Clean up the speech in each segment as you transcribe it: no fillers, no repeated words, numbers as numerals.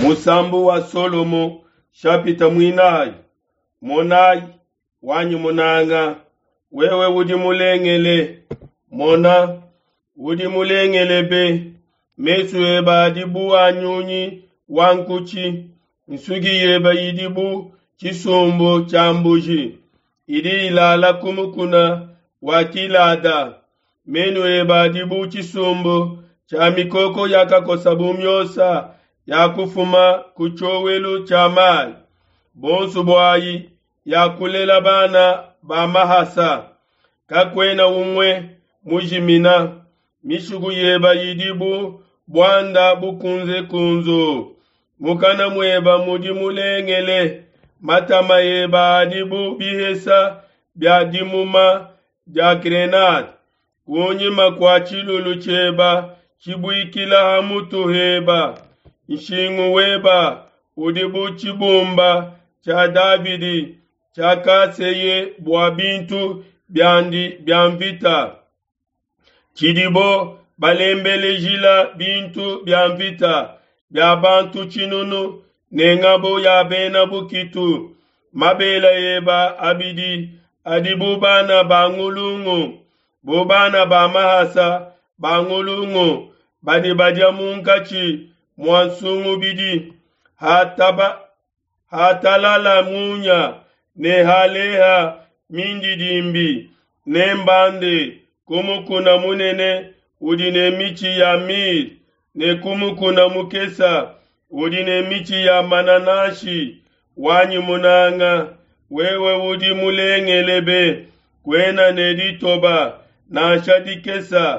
Musambu wa Solomo shapita muinayi. Monayi, wanyi munanga, wewe udi mulengele. Mona, udi mulengele be. Mesu ebe adi bu a nyunyi wa nkutshi, nsuki yebe idi bu tshisumbu tshia mbuji idi ilala ku mukuna wa Gilada. Menu ebe adi bu tshisumbu tshia mikoko yakakosa bu miosa yakufuma ku tshiowelu tshia mayi. Bonso buayi yakulela bana ba mahasa, kakuena umue mujimina. Mishiku yeba idi bu buanda bukunzekunzu, mukana mueba mudi mulengele. Matama eba adi bu bihesa bia dimuma dia grenade. Kunyima kua tshilulu tshieba tshibuikila ha mutu heba, nshingu weba udi bu tshibumba tshia Davidi tshiakaseye bua bintu biandi bia mvita, tshidibo balembelejila bintu bia mvita bia bantu tshinunu ne ngabo ya bena bukitu. Mabele eba abidi adi bu bana ba ngulungu, bu bana ba mahasa ba ngulungu badi badia munkatshi mua nsungubidi. Hatalala munya ne haleha mindidimbi, nembande ku mukuna munene udi ne mitshi ya myrrhe ne ku mukuna mukese udi ne mitshi ya manananshi. Wanyi munanga, wewe udi mulengele be, kuena ne ditoba nansha dikese.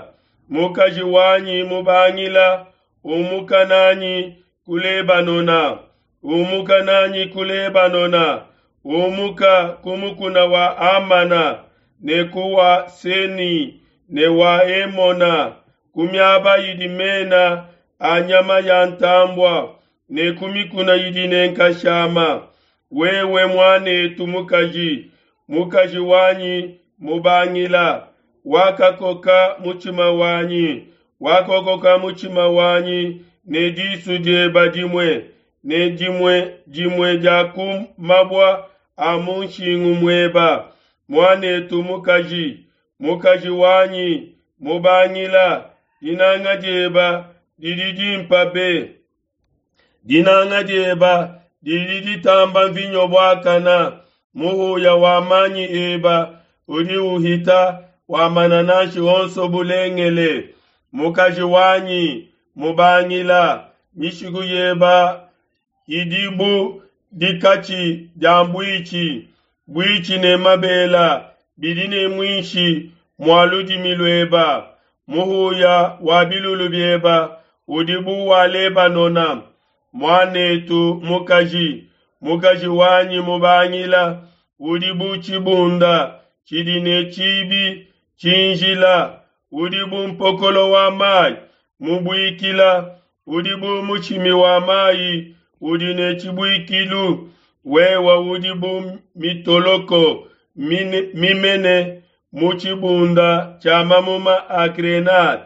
Mukaji wanyi mubangila, umuka nanyi ku Lebanona, umuka nanyi ku Lebanona, umuka ku mukuna wa Amana ne ku wa Seni ne wa Emona, ku miaba idi mena a nyama ya ntambua ne ku mikuna idi ne nkashama. Wewe muanetu mukaji, mukaji wanyi mubangila, wakakoka mutshima wanyi, wakakoka mutshima wanyi ne disu dieba dimue, ne dimue dimue dia ku mabua a mu nshingu mueba. Muanetu mukaji, mukaji wanyi mubangila, dinanga dieba didi dimpa be. Dinanga dieba didi ditamba mvinyo buakana, muhuya wa manyi eba udi uhita wa manananshi onso bulengele. Mukaji wanyi mubangila, mishiku yeba idi bu dikatshi dia buitshi, buitshi ne mabela bidi ne muinshi mua ludimi lueba. Muhuya wa bilulu bieba udi bu wa Lebanona. Muanetu mukaji, mukaji wanyi mubangila, udi bu tshibunda tshidi ne tshibi tshinjila, udi bu mpokolo wa mayi mubuikila, udi bu mushimi wa mayi udi ne tshibuikilu. Wewe udi bu mitoloko mimene mu tshibunda tshia mamuma a grenade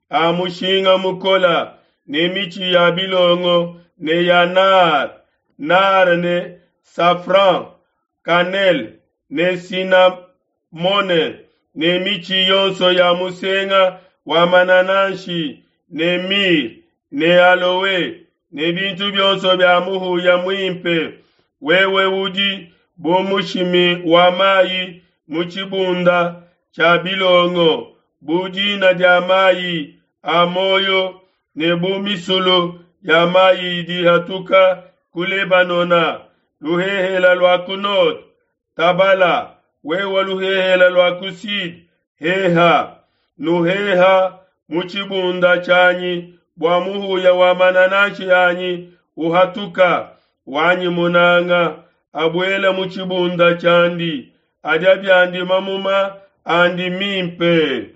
a mushinga mukola, ne mitshi ya bilongo ne ya nar, nar ne safran, cannelle ne cinnamone, ne mitshi yonso ya musenga wa manananshi ne myrrhe ne aloe ne bintu bionso bia muhuya muimpe. Wewe udi bu mushimi wa mayi mu tshibunda tshia bilongo, bu dina dia mayi a muoyo ne bu misulu ya mayi idi ihatuka ku Lebanona. Luhehela lua ku node, tabala, wewe luhehela lua ku sude, heha. Nuheha mu tshibunda tshianyi bua muhuya wa manananshi anyi uhatuka. Wanyi munanga abuela mu tshibunda tshiandi, adia biandi mamuma andi mimpe.